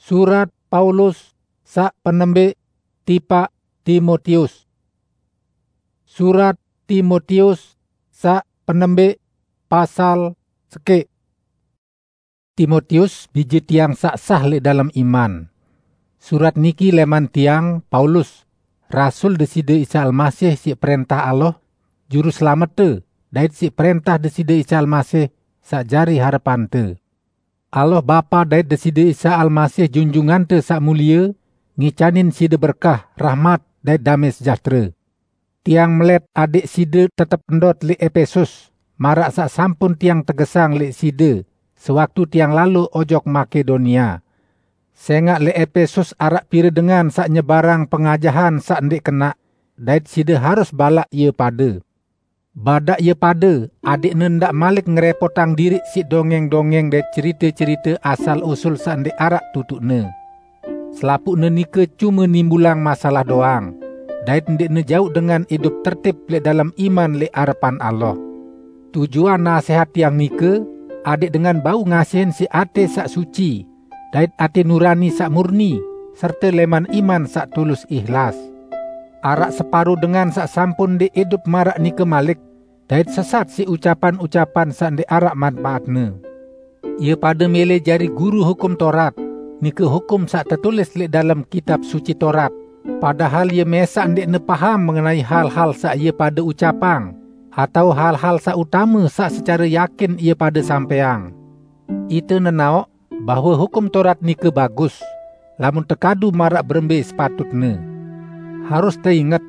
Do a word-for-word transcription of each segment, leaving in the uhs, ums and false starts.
Surat Paulus saq penembeq tipaq Timotius. Surat Timotius saq penembeq pasal sekeq. Timotius, bije tiang saq sah lẽq dalem iman. Surat niki lẽman tiang, Paulus, rasul Deside Isa Almasih siq prẽntah Allah, Juruselamet-Te, dait siq prẽntah Deside Isa Almasih saq jari harepante. Allah Bapa dait Deside Isa Almasih Junjungante Saq Mulie ngicanin side berkah, rahmat, dait damẽ sejahtere. Tiang melet adẽq side tetep ndot lẽq Epesus, maraq saq sampun tiang tegesang lẽq side sewaktu tiang lalo ojok Makedonia. Sẽngaq lẽq Epesus araq pire dengan saq nyebarang pengajahan saq ndẽq kenaq, dait side harus balaq ie pade. Badaq ie pade, adẽqne ndaq malik ngerepotang diriq siq dongẽng-dongẽng dait cerite-cerite asal-usul saq ndẽq araq tutuqne. Selapuqne nike cume nimbulang masalah doang, dait ndẽqne jauq dengan idup tertib lẽq dalem iman lẽq arepan Allah. Tujuan nasẽhat tiang nike, adẽq dengan bau ngasihin siq atẽ saq suci, dait atẽ nurani saq murni, serte lẽman iman saq tulus ihlas. Araq separo dengan saq sampun ndẽq idup maraq nike malik, dait sesat siq ucapan-ucapan saq ndẽq araq manpaatne. Ie pade mẽlẽ jari guru Hukum Taurat, nike hukum saq tetulis lẽq dalem Kitab Suci Taurat, padahal ie mẽsaq ndẽqne paham mengenai hal-hal saq ie pade ucapang, atao hal-hal saq utame saq secare yakin ie pade sampẽang. Ite nenaoq bahwe Hukum Taurat nike bagus, lamun tekadu maraq berembe sepatutne. Harus teinget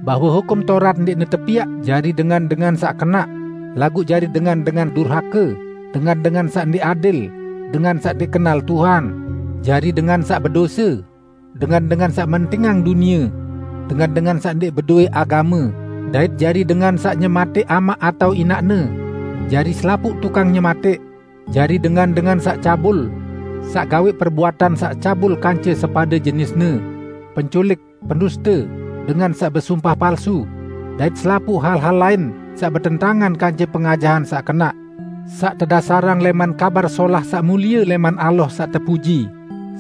bahwe Hukum Taurat ndẽqne tepiaq jari dengan-dengan saq kenaq, laguq jari dengan-dengan durhake, dengan-dengan saq ndẽq adil, dengan saq ndẽq kenal Tuhan, jari dengan saq bedose, dengan-dengan saq mentingang dunie, dengan-dengan saq ndẽq bedoe agame, dait jari dengan saq nyematẽq amaq atao inaqne, jari selapuq tukang nyematẽq, jari dengan-dengan saq cabul, saq gaweq perbuatan saq cabul kance sepade jenisne, penculik, penduste, dengan saq besumpah palsu, dait selapuq hal-hal lain saq betentangan kance pengajahan saq kenaq, saq tedasarang lẽman Kabar Solah saq mulie lẽman Allah saq tepuji,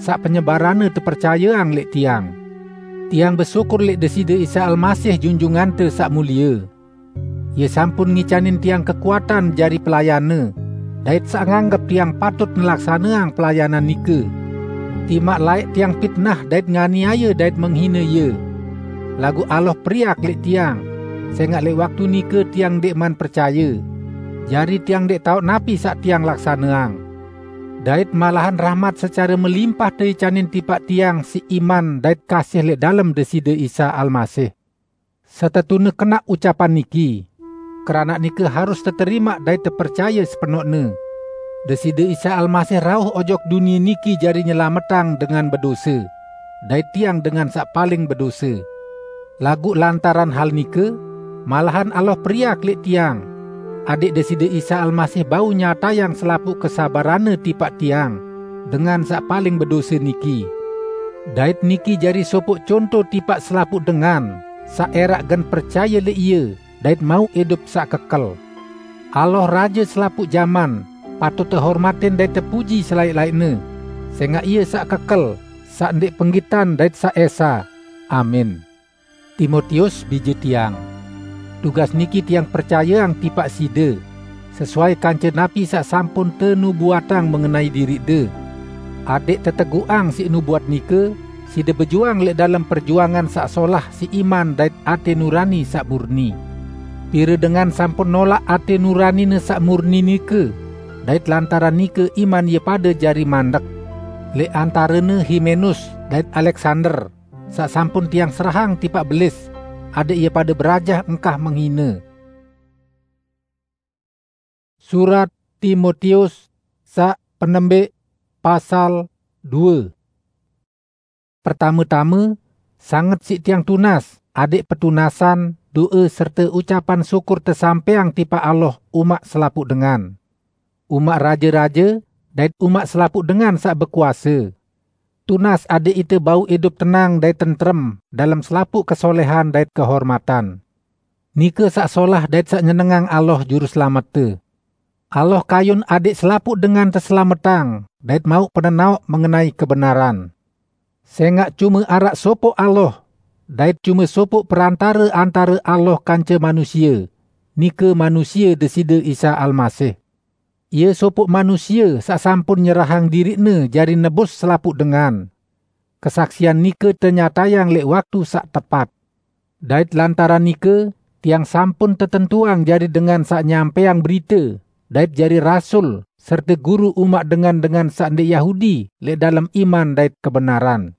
saq penyebaranne tepercayeang lẽq tiang. Tiang besyukur lẽq Deside Isa Almasih Junjungante Saq Mulie. Ie sampun ngicanin tiang kekuatan jari pelayanne, dait saq nganggep tiang patut ngelaksaneang pelayanan nike. Timaq laeq tiang pitnah dait nganiaye dait menghine ie. Laguq Allah periak lẽq tiang, sẽngaq lẽq waktu nike tiang ndẽqman percaye, jari tiang ndẽq taoq napi saq tiang laksaneang. Dait malahan rahmat secare melimpah teicanin tipaq tiang siq iman dait kasih lẽq dalem Deside Isa Almasih. Setetune kenaq ucapan niki, keranaq nike harus teterimaq dait tepercaye sepenoqne. Deside Isa Almasih rauh ojok dunie niki jari nyelametang dengan bedose, dait tiang dengan saq paling bedose. Laguq lantaran hal nike, malahan Allah periak lẽq tiang, adẽq Deside Isa Almasih bau nyatayang selapuq kesabaranne tipaq tiang, dengan saq paling bedose niki. Dait niki jari sopoq conto tipaq selapuq dengan saq ẽraq gen percaye lẽq Ie dait mauq idup saq kekel. Allah, Raje selapuq jaman, patut tehormatin dait tepuji selaeq-laeqne, sẽngaq Ie saq kekel, saq ndẽq penggitan dait saq esa. Amin. Timotius, bije tiang. Tugas niki tiang percayeang tipaq side, sesuai kance napi saq sampun tenubuatang mengenai diriqde, adẽq teteguqang siq nubuat nike, side bejuang lẽq dalem perjuangan saq solah siq iman dait atẽ nurani saq murni. Pire dengan sampun nolaq atẽ nuranine saq murni nike, dait lantaran nike iman ie pade jari mandek. Lẽq antarene Himenus dait Aleksander, saq sampun tiang serahang tipaq belis, adẽq ie pade berajah engkah menghine. Surat Timotius saq penembeq, pasal due. Pertame-tame, sanget siq tiang tunas, adẽq petunasan, doe, serte ucapan syukur tesampẽang tipaq Allah umaq selapuq dengan, umaq raje-raje, dait umaq selapuq dengan saq bekuase. Tunas adẽq ite bau idup tenang dait tentrem dalem selapuq kesolehan dait kehormatan. Nike saq solah dait saq nyenengang Allah Juruselamet-Te. Allah kayun adik selapuq dengan teselametang dait mauq penenaoq mengenai kebenaran. Sengaq cume araq sopoq Allah, dait cume sopoq perantare antare Allah kance manusie, nike manusie Deside Isa Almasih. Ie sopoq manusie saq sampun nyerahang diriqne jari nebus selapuq dengan. Kesaksian nike tenyatayang leq waktu saq tepat. Dait lantaran nike, tiang sampun tetentuang jari dengan saq nyampaiang berite, dait jari rasul, serte guru umaq dengan-dengan saq ndeq Yahudi leq dalem iman dait kebenaran.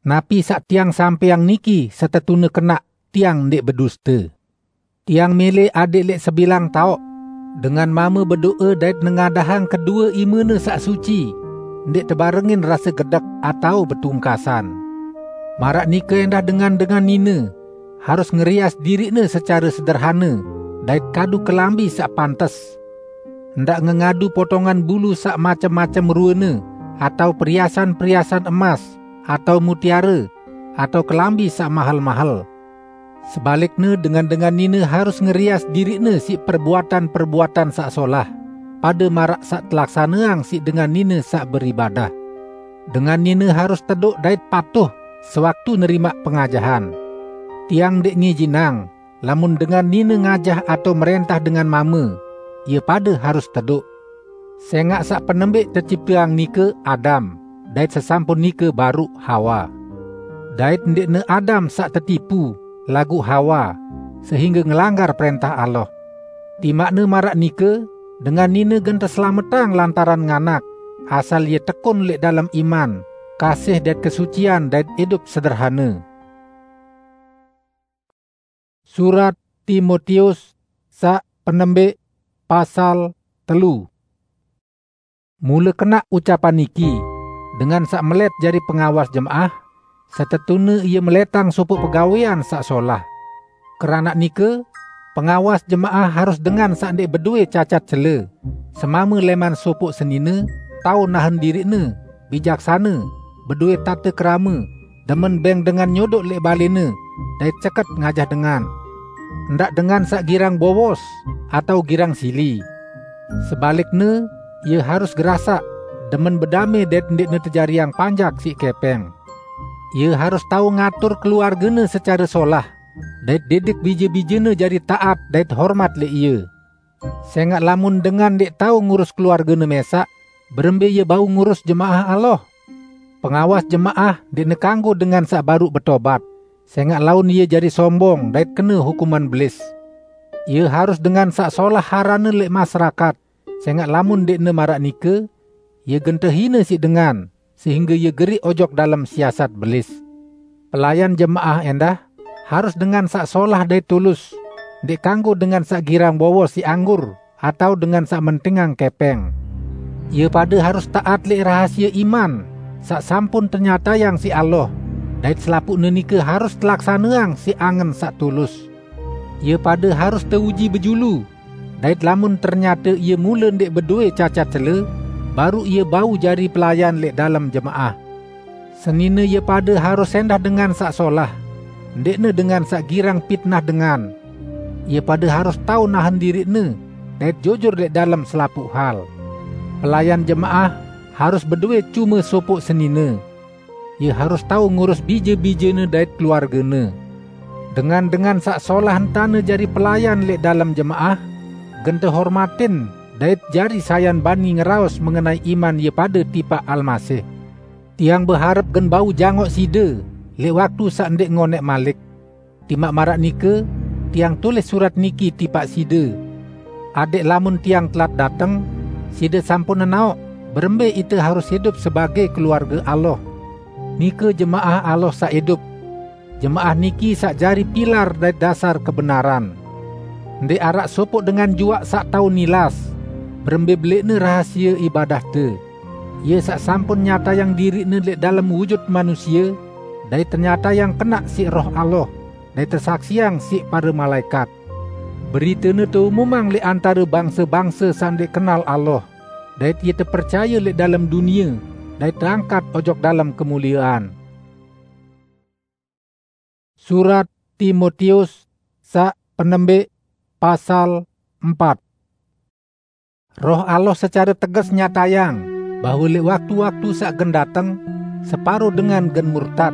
Napi saq tiang sampaiang niki setetune kenaq, tiang ndeq beduste. Tiang mele adeq leq sebilang taoq, dengan mame bedoe dait nengadahang kedue imene saq suci, ndeq tebarengin rase gedek atao betungkasan. Maraq nike endah dengan-dengan nine harus ngerias diriqne secare sederhane, dait kadu kelambi saq pantes. Ndaq ngengadu potongan bulu saq macem-macem ruene, atao periasan-periasan emas, atao mutiare, atao kelambi saq mahel-mahel. Sebalikne, dengan-dengan nine harus ngerias diriqne siq perbuatan-perbuatan saq solah, pade maraq saq telaksaneang siq dengan nine saq beribadah. Dengan nine harus tedoq dait patuh sewaktu nerimaq pengajahan. Tiang ndeq ngijinang, lamun dengan nine ngajah atao mrentah dengan mame, ie pade harus tedoq. Sengaq saq penembeq tecipteang nike Adam, dait sesampun nike baruq Hawa. Dait ndeqne Adam saq tetipu, laguq Hawa, sehingge ngelanggar prentah Allah. Timaqne maraq nike, dengan nine gen teselametang lantaran nganak, asal ie tekun leq dalem iman, kasih dait kesucian dait idup sederhane. Surat Timotius saq penembeq, pasal telu. Mule kenaq ucapan niki, dengan saq melet jari pengawas jemaah, setetune ie meletang sopoq pegawean saq solah. Keranaq nike, pengawas jemaah harus dengan saq ndeq bedoe cacat cele, semame leman sopoq senine, tao nahen diriqne, bijaksane, bedoe tate kerame, demen beng dengan nyodoq leq balene, dait ceket ngajah dengan. Ndaq dengan saq girang bowos atao girang sili. Sebalikne, ie harus gerasaq, demen bedame dait ndeqne tejariang panjak siq kepeng. Ie harus tao ngatur keluargene secare solah, dait didik bije-bijene jari taat dait hormat leq ie. Sengaq lamun dengan ndeq tao ngurus keluargene mesaq, berembe ie bau ngurus jemaah Allah? Pengawas jemaah ndeqne kanggo dengan saq baruq betobat, sengaq laun ie jari sombong dait kene hukuman Belis. Ie harus dengan saq solah aranne leq masyarakat, sengaq lamun ndeqne maraq nike, ie gen tehine siq dengan, sehingge ie geriq ojok dalem siasat Belis. Pelayan jemaah endah harus dengan saq solah dait tulus, ndeq kanggo dengan saq girang bowos siq anggur atao dengan saq mentingang kepeng. Ie pade harus taat leq rahasie iman saq sampun tenyatayang siq Allah, dait selapuqne nike harus telaksaneang siq angen saq tulus. Ie pade harus teuji bejulu, dait lamun ternyate ie mule ndeq bedoe cacat cele, baruq ie bau jari pelayan leq dalem jemaah. Senine ie pade harus endah dengan saq solah, ndeqne dengan saq girang pitnah dengan. Ie pade harus tao nahen diriqne, dait jujur leq dalem selapuq hal. Pelayan jemaah harus bedoe cume sopoq senine. Ie harus tao ngurus bije-bijene dait keluargene. Dengan-dengan saq solah entane jari pelayan leq dalem jemaah, gen tehormatin dait jari sayan bani ngeraos mengenai iman ie pade tipaq Almasih. Tiang beharep gen bau jangoq side leq waktu saq ndeq ngoneq malik. Timaq maraq nike, tiang tulis surat niki tipaq side, adeq lamun tiang telat dateng, side sampun nenaoq berembe ite harus idup sebagei keluarge Allah, nike jemaah Allah saq idup. Jemaah niki saq jari pilar dait dasar kebenaran. Ndeq araq sopoq dengan juaq saq tao nilas, berembe beleqne rahasie ibadahte. Ie saq sampun nyatayang diriqne leq dalem wujut manusie, dait tenyatayang kenaq siq Roh Allah, dait tesaksiang siq pare malaekat. Beritene teumumang leq antare bangse-bangse saq ndeq kenal Allah, dait ie tepercaye leq dalem dunie, dait teangkat ojok dalem kemuliean. Surat Timotius saq penembeq, pasal empat. Roh Allah secare teges nyatayang bahwa leq waktu-waktu saq gen dateng, separo dengan gen murtad,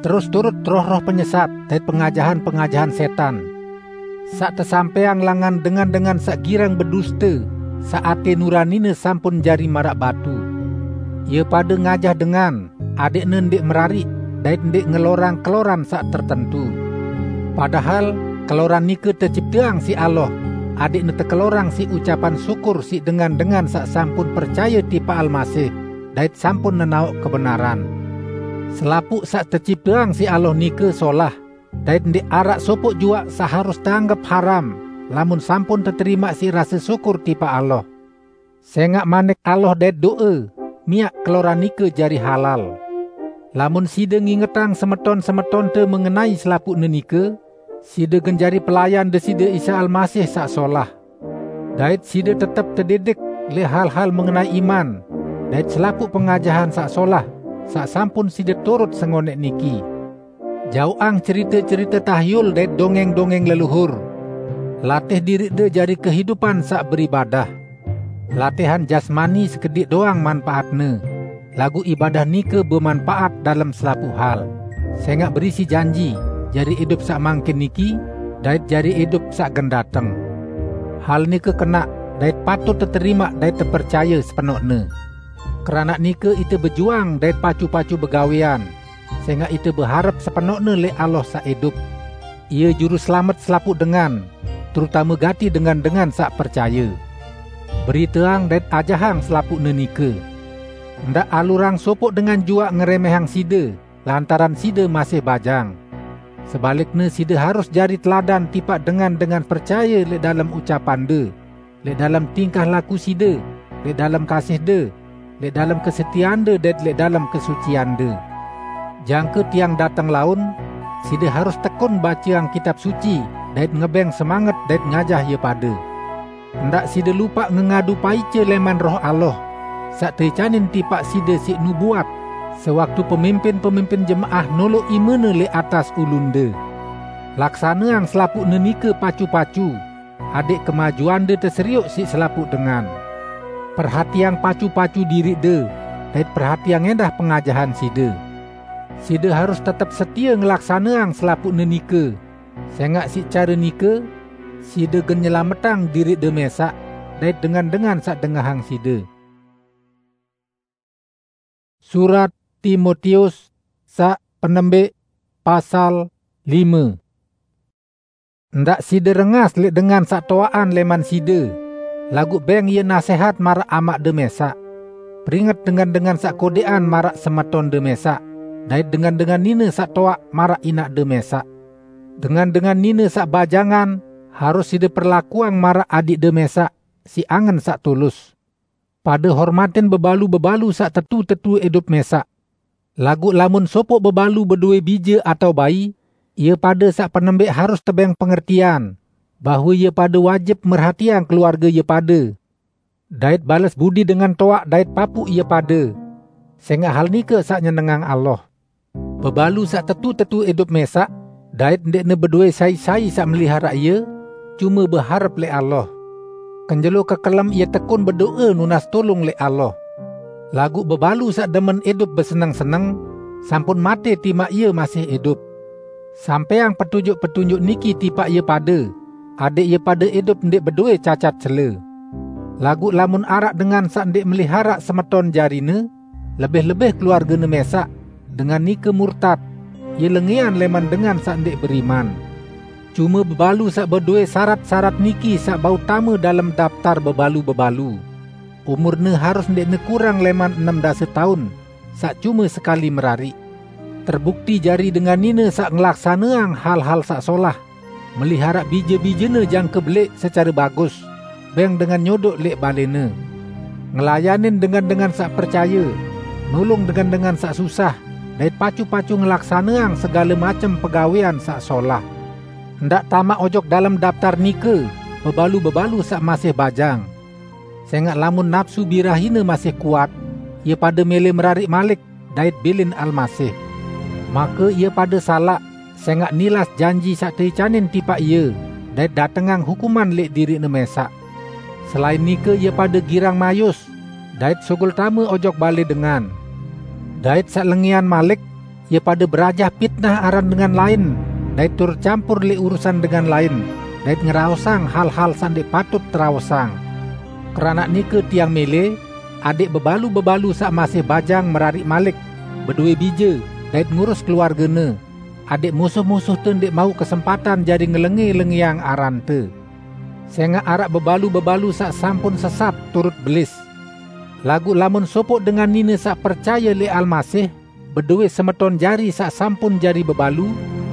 terus turut roh-roh penyesat dait pengajahan-pengajahan setan, saq tesampeang langan dengan-dengan saq girang beduste, saq ate nuranine sampun jari maraq batu. Ie pade ngajah dengan, adeqne ndeq merariq dait ndeq ngelorang keloran saq tertentu. Padahal keloran nike tecipteang siq Allah, adeqne tekelorang siq ucapan syukur siq dengan-dengan saq sampun percaye tipaq Almasih dait sampun nenaoq kebenaran. Selapuq saq tecipteang siq Allah nike solah, dait ndeq araq sopoq juaq saq harus teanggep haram, lamun sampun teterimaq siq rase syukur tipaq Allah. Sengaq manik Allah dait do'e, miaq keloran nike jari halal. Lamun side ngingetang semeton-semetonte mengenai selapuqne nike, side gen jari pelayan Deside Isa Almasih saq solah. Dait side tetep tedidik leq hal-hal mengenai iman dait selapuq pengajahan saq solah, saq sampun side turut sengoneq niki. Jaoqang cerite-cerite tahyul dait dongeng-dongeng leluhur. Latih diriqde jari kehidupan saq beribadah. Latihan jasmani sekediq doang manpaatne, laguq ibadah nike bemanpaat dalem selapuq hal, sengaq berisi janji jari idup saq mangkin niki dait jari idup saq gen dateng. Hal nike kenaq dait patut teterimaq dait tepercaye sepenoqne. Keranaq nike ite bejuang dait pacu-pacu begawean, sengaq ite beharep sepenoqne leq Allah saq idup. Ie Juruselamet selapuq dengan, terutame gati dengan-dengan saq percaye. Beriteang dait ajahang selapuqne nike. Ndaq alurang sopoq dengan juaq ngeremehang side lantaran side masih bajang. Sebalikne, side harus jari teladan tipaq dengan-dengan percaye leq dalem ucapande, leq dalem tingkah laku side, leq dalem kasihde, leq dalem kesetieande dait leq dalem kesuciande. Jangke tiang dateng laun, side harus tekun baceang Kitab Suci dait ngebeng semanget dait ngajah ie pade. Ndaq side lupaq ngengadu paice leman Roh Allah, saq teicanin tipaq side siq nubuat, sewaktu pemimpin-pemimpin jemaah noloq imene leq atas ulunde. Laksaneang selapuqne nike pacu-pacu, adeq kemajuande teserioq siq selapuq dengan. Perhatiang pacu-pacu diriqde, dait perhatiang endah pengajahan side. Side harus tetep setie ngelaksaneang selapuqne nike, sengaq siq care nike side gen nyelametang diriqde mẽsaq dait dengan-dengan saq dengahang side. Surat Timotius saq penembeq, pasal lime. Ndaq side rengas leq dengan saq toaqan leman side, laguq beng ie nasehat maraq amaqde mẽsaq. Peringet dengan-dengan saq kodeqan maraq semetonde mẽsaq, dait dengan-dengan nine saq toaq maraq inaqde mẽsaq. Dengan-dengan nine saq bajangan harus side perlakuang maraq adiqde mẽsaq siq angen saq tulus. Pade hormatin bebalu-bebalu saq tetu-tetu idup mẽsaq. Laguq lamun sopoq bebalu bedowe bije atao bai, ie pade saq penembeq harus tebeng pengertian, bahwe ie pade wajib merhatiang keluarge ie pade, dait bales budi dengan toaq dait papuq ie pade, sengaq hal nike saq nyenengang Allah. Bebalu saq tetu-tetu idup mẽsaq, dait ndeqne bedowe sai-sai saq meliharaq ie, cume beharep leq Allah. Kenjelo kekelem ie tekun bedoe nunas tulung leq Allah. Laguq bebalu saq demen idup beseneng-seneng, sampun mate timaq ie masih idup. Sampeang petunjuk-petunjuk niki tipaq ie pade, adeq ie pade idup ndeq bedowe cacat cele. Laguq lamun araq dengan saq ndeq meliharaq semeton jarine, lebih-lebih keluargene mẽsaq, dengan nike murtad, ie lengean leman dengan saq ndeq beriman. Cume bebalu saq bedowe sarat-sarat niki saq bau tame dalem daptar bebalu-bebalu. Umurne harus ndeqne kurang leman enem dase taun, saq cume sekali merariq. Terbukti jari dengan nine saq ngelaksaneang hal-hal saq solah, meliharaq bije-bijene jangke beleq secare bagus, beng dengan nyodoq leq balene. Ngelayanin dengan-dengan saq percaye, nulung dengan-dengan saq susah, dait pacu-pacu ngelaksaneang segale macem pegawean saq solah. Ndaq tamaq ojok dalem daptar nike bebalu-bebalu saq masih bajang. Sengaq lamun napsu birahine masih kuat, ie pade mele merariq malik dait bilin Almasih. Make ie pade salaq, sengaq nilas janji saq teicanin tipaq ie, dait datengang hukuman leq diriqne mẽsaq. Selain nike, ie pade girang mayus, dait sugul tame ojok bale dengan. Dait saq lengẽan malik, ie pade berajah pitnah aran dengan laen, dait turut campur leq urusan dengan laen, dait ngeraosang hal-hal saq ndẽq patut teraosang. Keranaq nike tiang mele, adẽq bebalu-bebalu saq masih bajang merariq malik, bedowe bije, dait ngurus keluargene, adẽq musuh-musuhte ndẽq mauq kesempatan jari ngelengẽ-lengẽang arante. Sẽngaq araq bebalu-bebalu saq sampun sesat turut belis. Laguq lamun sopoq dengan nine saq percaye lẽq Almasih bedowe semeton jari saq sampun jari bebalu,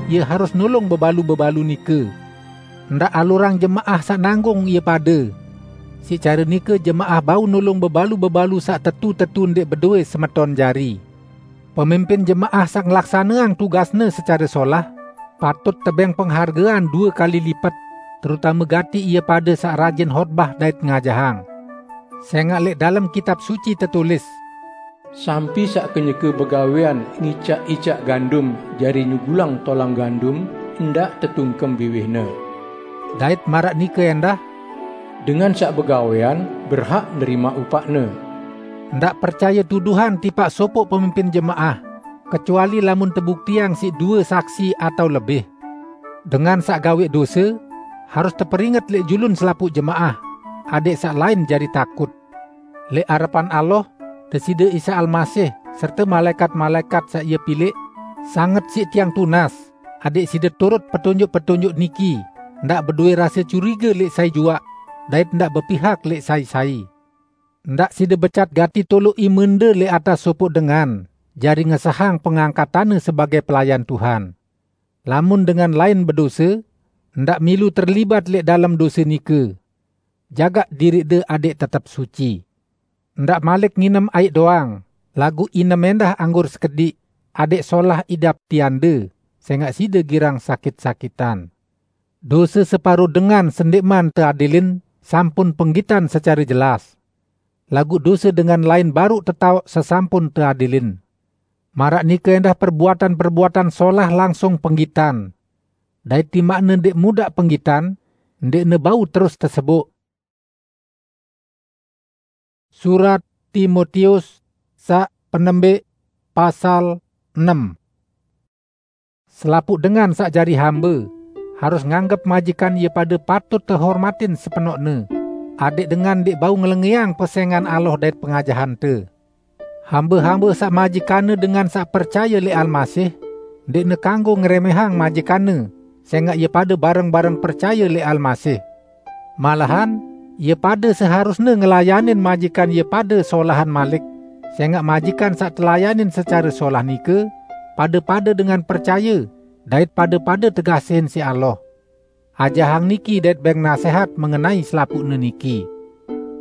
ie harus nulung bebalu-bebalu nike. Ndaq alurang jemaah saq nanggung ie pade. Siq care nike jemaah bau nulung bebalu-bebalu saq tetu-tetu ndẽq bedowe semeton jari. Pemimpin jemaah saq ngelaksaneang tugasne secare solah, patut tebeng penghargean due kali lipet, terutame gati ie pade saq rajin hotbah dait ngajahang. Sẽngaq lẽq dalem Kitab Suci tetulis, "Sampi saq kenyeke begawean ngicaq-icaq gandum jari nyugulang tolang gandum, ndaq tetungkem biwihne." Dait maraq nike ẽndah, "Dengan saq begawean berhak nerimaq upaqne." Ndaq percaye tuduhan tipaq sopoq pemimpin jemaah, kecuali lamun tebuktiang siq due saksi atao lebih. Dengan saq gaweq dose harus teperinget lẽq julun selapuq jemaah, adẽq saq lain jari takut. Lẽq arepan Allah, Deside Isa Almasih, serte malaẽkat-malaẽkat saq Ie pilẽq, sanget siq tiang tunas, adẽq side turut petunjuk-petunjuk niki, ndaq bedowe rase curige lẽq sai juaq, dait ndaq bepihak lẽq sai-sai. Ndaq side becat gati toloq imende lẽq atas sopoq dengan, jari ngesahang pengangkatanne sebagẽ pelayan Tuhan. Lamun dengan lain bedose, ndaq milu terlibat lẽq dalem dose nike. Jagaq diriqde adẽq tetep suci. Ndaq malik nginem aiq doang, laguq inem ẽndah anggur sekediq, adẽq solah idap tiande, sẽngaq side girang sakit-sakitan. Dose separo dengan sendẽqman teadilin sampun penggitan secare jelas. Laguq dose dengan lain baruq tetaoq sesampun teadilin. Maraq nike ẽndah perbuatan-perbuatan solah langsung penggitan. Dait timaqne ndẽq mudaq penggitan, ndẽqne bau terus teseboq. Surat Timotius saq penembeq, pasal enem. Selapuq dengan saq jari hambe harus nganggep majikan ie pade patut tehormatin sepenoqne, adẽq dengan ndẽq bau ngelengẽang pesẽngan Allah dait pengajahante. Hambe-hambe saq majikanne dengan saq percaye lẽq Almasih, ndẽqne kanggo ngeremẽhang majikanne, sẽngaq ie pade bareng-bareng percaye lẽq Almasih. Malahan, ie pade seharusne ngelayanin majikan ie pade solahan malik, sẽngaq majikan saq telayanin secare solah nike, pade-pade dengan percaye, dait pade-pade tekasihin siq Allah. Ajahang niki dait bẽng nasẽhat mengenai selapuqne niki.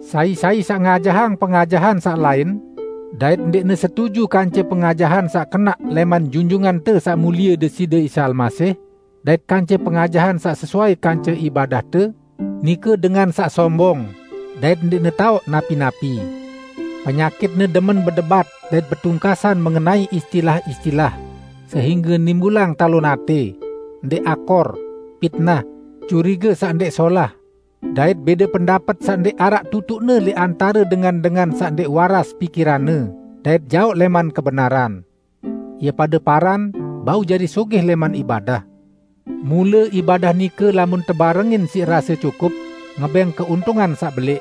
Sai-sai saq ngajahang pengajahan saq lain, dait ndẽqne setuju kance pengajahan saq kenaq lẽman Junjungante Saq Mulie Deside Isa Almasih, dait kance pengajahan saq sesuai kance ibadahte, nike dengan saq sombong, dait ndẽqne taoq napi-napi. Penyakitne demen bedebat dait betungkasan mengenai istilah-istilah, sehingge nimbulang talon ate, ndẽq akor, pitnah, curige saq ndẽq solah, dait bẽde pendapet saq ndẽq araq tutuqne lẽq antare dengan-dengan saq ndẽq waras pikiranne dait jaoq lẽman kebenaran. Ie pade paran bau jari sugih lẽman ibadah. Mule ibadah nike lamun tebarengin siq rase cukup, ngebẽng keuntungan saq belẽq.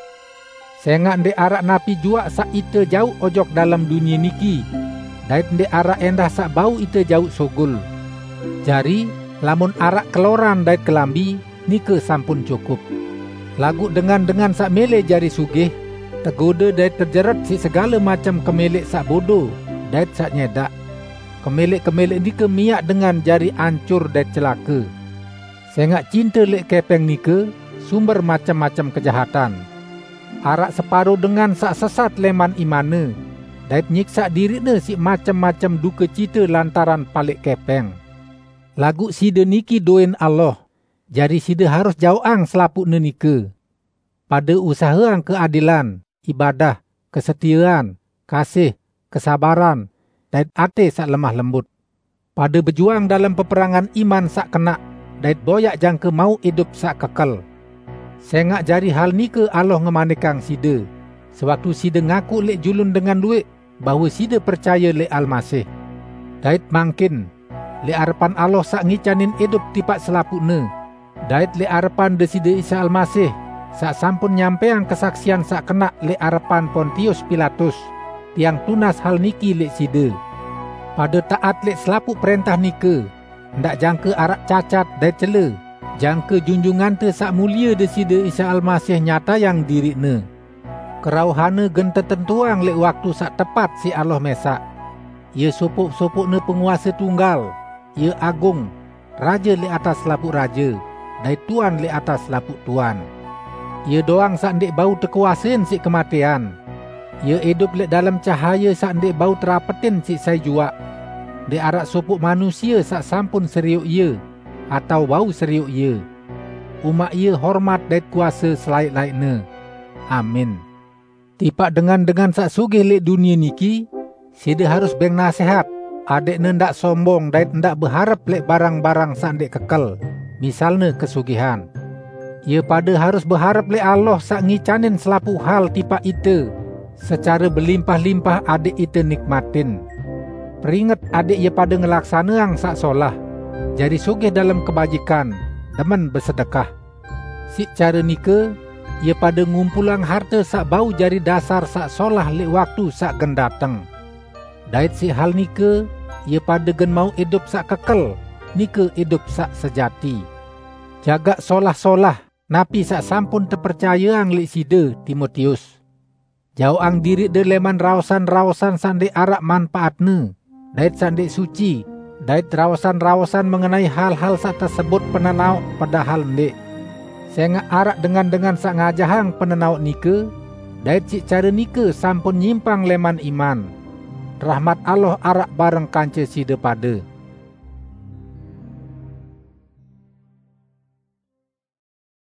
Sẽngaq ndẽq araq napi juaq saq ite jauq ojok dalem dunie niki, dait ndẽq araq ẽndah saq bau ite jauq sugul. Jari, lamun araq keloran dait kelambi, nike sampun cukup. Laguq dengan-dengan saq mele jari sugih, tegode dait tejeret siq segale macem kemeleq saq bodo dait saq nyẽdaq. Kemeleq-kemeleq nike miaq dengan jari ancur dait celake. Sẽngaq cinte lẽq kẽpẽng nike sumber macem-macem kejahatan. Araq separo dengan saq sesat lẽman imanne, dait nyiksaq diriqne siq macem-macem dukecite lantaran palẽq kẽpẽng. Laguq side niki doen Allah, jari side harus jaoqang selapuqne nike. Pade usaheang keadilan, ibadah, kesetiean, kasih, kesabaran, dait ate saq lemah lembut. Pade bejuang dalem peperangan iman saq kenaq, dait boyaq jangke mauq idup saq kekel. Sengaq jari hal nike Allah ngemanikang side, sewaktu side ngaku lẽq julun dengan luwẽq bahwe side percaye lẽq Almasih. Dait mangkin, lẽq arepan Allah saq ngicanin idup tipaq selapuqne, dait lẽq arepan Deside Isa Almasih, saq sampun nyampẽang kesaksian saq kenaq lẽq arepan Pontius Pilatus, tiang tunas hal niki lẽq side: Pade taat lẽq selapuq prẽntah nike, ndaq jangke araq cacat dait cele, jangke Junjungante Saq Mulie Deside Isa Almasih nyatayang diriqne. Kerauhanne gen tetentuang lẽq waktu saq tepat siq Allah mẽsaq. Ie sopoq-sopoqne penguase tunggal, ie agung, Raje lẽq atas selapuq raje, dait Tuan lẽq atas selapuq tuan. Ie doang saq ndẽq bau tekuasein siq kematẽan. Ie idup lẽq dalem cahaye saq ndẽq bau terapetin siq sai juaq. Ndẽq araq sopoq manusie saq sampun serioq ie, atao bau serioq ie. Umaq ie hormat dait kuase selaẽq-laẽqne. Amin. Tipaq dengan-dengan saq sugih lẽq dunie niki, side harus bẽng nasẽhat, adẽqne ndaq sombong dait ndaq beharep lẽq barang-barang saq ndẽq kekel, misalne kesugihan. Ie pade harus beharep lẽq Allah saq ngicanin selapuq hal tipaq ite secare belimpah-limpah adẽq ite nikmatin. Peringet adẽq ie pade ngelaksaneang saq solah, jari sugih dalem kebajikan, demen besedekah. Siq care nike, ie pade ngumpulang harte saq bau jari dasar saq solah lẽq waktu saq gen dateng. Dait siq hal nike, ie pade gen mauq idup saq kekel, nike idup saq sejati. Jagaq solah-solah napi saq sampun tepercayeang lẽq side, Timotius. Jaoqang diriqde lẽman raosan-raosan saq ndẽq araq manpaatne, dait saq ndẽq suci, dait raosan-raosan mengenai hal-hal saq tesebut penenaoq padahal ndẽq. Sengaq araq dengan-dengan saq ngajahang penenaoq nike, dait siq care nike sampun nyimpang lẽman iman. Rahmat Allah araq bareng kance side pade.